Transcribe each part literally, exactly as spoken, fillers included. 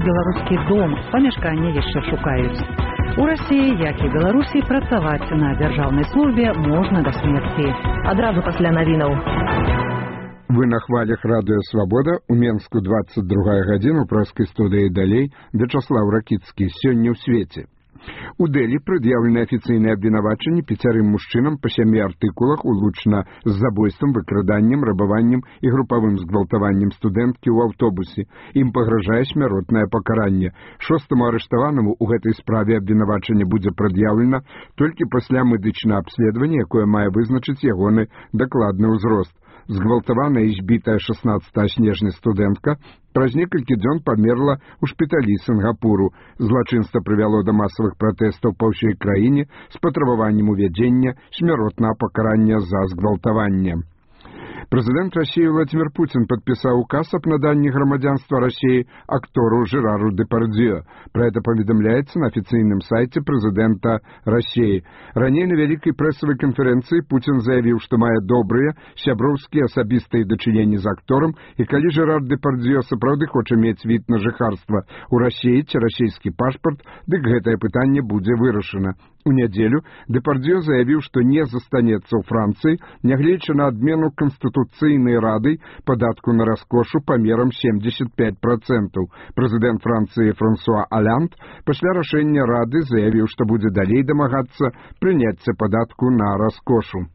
беларускі дом, памяшканне яшчэ шукаюць. У Расіі, як і Беларусі, працаваць на дзяржаўнай службе можна да смерці. Адразу пасля навінаў. Вы на хвалях радыё «Свабода». У Менску двадцать другая гадзіна, у прэскай студыі далей Вячаслав Ракіцкі. Сёння ў свеце. У Дэлі прад'яўлены афіцыйныя абвінавачанні пяцярым мужчынам па сямі артыкулах улучна з забойствам, выкраданнем, рабаваннем і групавым згвалтаваннем студэнткі ў аўтобусе. Ім пагражае смяротнае пакаранне. Шостаму арыштаванаму ў гэтай справе абвінавачанне будзе прад'яўлена толькі пасля медычнага абследавання, якое мае вызначыць ягоны дакладны ўзрост. Згвалтаваная і збітая шаснаццатага снежня студэнтка праз некалькі дзён памерла ў шпіталі Сінгапуру. Злачынства прывяло да масавых пратэстаў па ўсёй краіне з патрабаваннем увядзення смяротнага пакарання за згвалтаванне. Прэзідэнт Расіі Владзімір Пуцін падпісаў указ аб наданні грамадзянства Расіі актору Жерару Дэпардзьё. Пра гэта паведамляецца на афіцыйным сайце прэзідэнта Расіі. Раней на вялікай прэсавай канферэнцыі Пуцін заявіў, што мае добрыя сяброўскія асабістыя дачыненні з акторам, і калі Жерар Дэпардзьё сапраўды хоча мець від на жыхарства ў Расіі ці расійскі пашпарт, дык гэтае пытанне будзе вырашана. У нядзелю Дэпардзьё заявіў, што не застанецца ў Францыі, нягледзячы на адмену Канстытуцыйнай рады падатку на раскошу памерам семьдесят пять процентаў. Прэзідэнт Францыі Франсуа Аланд пасля рашэння рады заявіў, што будзе далей дамагацца прыняцця падатку на раскошу.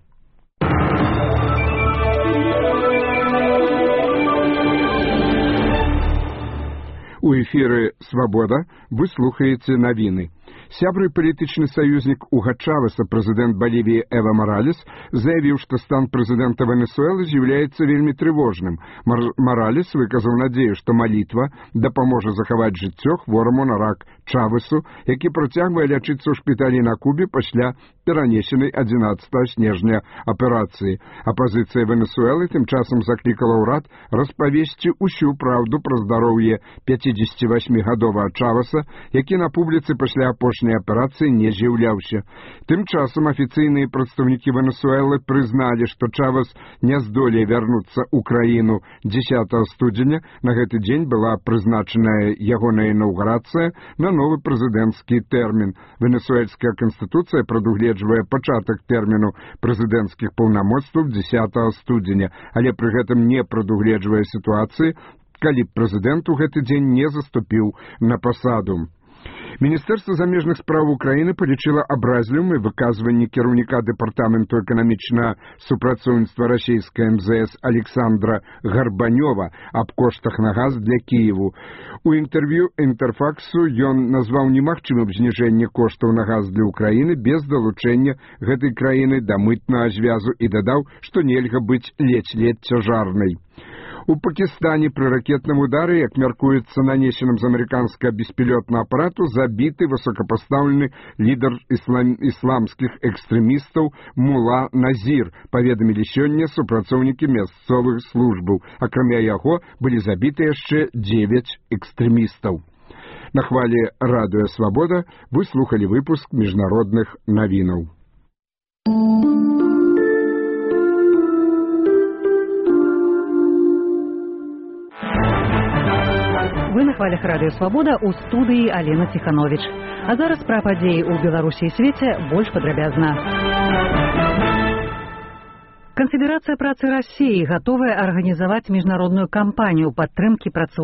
У эфіры «Свабода» вы слухаеце навіны. Сябры палітычны саюзнік Уга Чавеса, прэзідэнт Балівіі Эва Маралес, заявіў, што стан прэзідэнта Венесуэлы з'яўляецца вельмі трывожным. Маралес выказаў надзею, што малітва дапаможа захаваць жыццё хвораму на рак Чавесу, які працягвае лячыцца ў шпіталі на Кубе пасля перанесенай адзінаццатага снежня аперацыі. Апазіцыя Венесуэлы тым часам заклікала ўрад распавесці ўсю праўду пра здароўе пяцідзесяцівасьмігадовага Чавеса, які на публіцы пасля апошняй аперацыі не з'яўляўся. Тым часам афіцыйныя прадстаўнікі Венесуэлы прызналі, што Чавес не здолее вярнуцца ў краіну дзесятага студзеня. На гэты дзень была прызначаная ягоная інаўгурацыя на новы прэзідэнцкі тэрмін. Венесуэльская канстытуцыя прадугледжвае пачатак тэрміну прэзідэнцкіх паўнамоцтваў дзесятага студзеня, але пры гэтым не прадугледжвае сітуацыі, калі б прэзідэнт у гэты дзень не заступіў на пасаду. Міністэрства замежных спраў Украіны палічыла абразлівым выказванне кіраўніка дэпартаменту эканамічнага супрацоўніцтва расійскай эм зэ эс Александра Гарбанёва аб коштах на газ для Кіеву. У інтэрв'ю Інтэрфаксу ён назваў немагчымым зніжэнне коштаў на газ для Украіны без далучэння гэтай краіны да мытнага звязу і дадаў, што нельга быць ледзь-ледзь цяжарнай. У Пакістане пры ракетным удары, як мяркуецца нанесеным з амерыканскага беспілётнага апарату, забіты высокапастаўлены лідар іслам... ісламскіх экстрэмістаў Мула Назір, паведамілі сёння супрацоўнікі мясцовых службаў. Акрамя яго былі забіты яшчэ дзевяць экстрэмістаў. На хвалі радыё «Свабода» вы слухалі выпуск міжнародных навінаў. Вы на хвалях радыё «Свабода», у студыі Алена Ціхановіч. А зараз пра падзеі ў Беларусі і свеце больш падрабязна. Канфедэрацыя працы Расіі гатовая арганізаваць міжнародную кампанію падтрымкі працоўнікаў